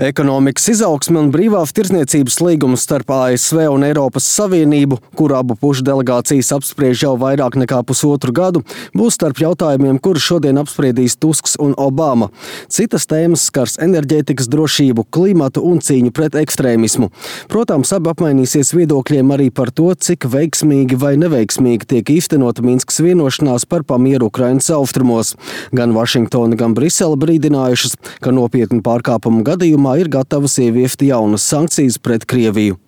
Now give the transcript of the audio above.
Ekonomikas izaugsme un brīvās tirdzniecības līgums starp ASV un Eiropas Savienību, kuru abu pušu delegācijas apspriež jau vairāk nekā pusotru gadu, būs starp jautājumiem, kurus šodien apspriedīs Tusks un Obama. Citas tēmas skars enerģētikas drošību, klimatu un cīņu pret ekstrēmismu. Protams, abi apmainīsies viedokļiem arī par to, cik veiksmīgi vai neveiksmīgi tiek īstenota Minskas vienošanās par pamieru Ukrainas austrumos. Gan Vašingtona, gan Brisele brīdinājušas, ka nopietnu pārkāpumu gadījumā ir gatavas ieviest jaunas sankcijas pret Krieviju.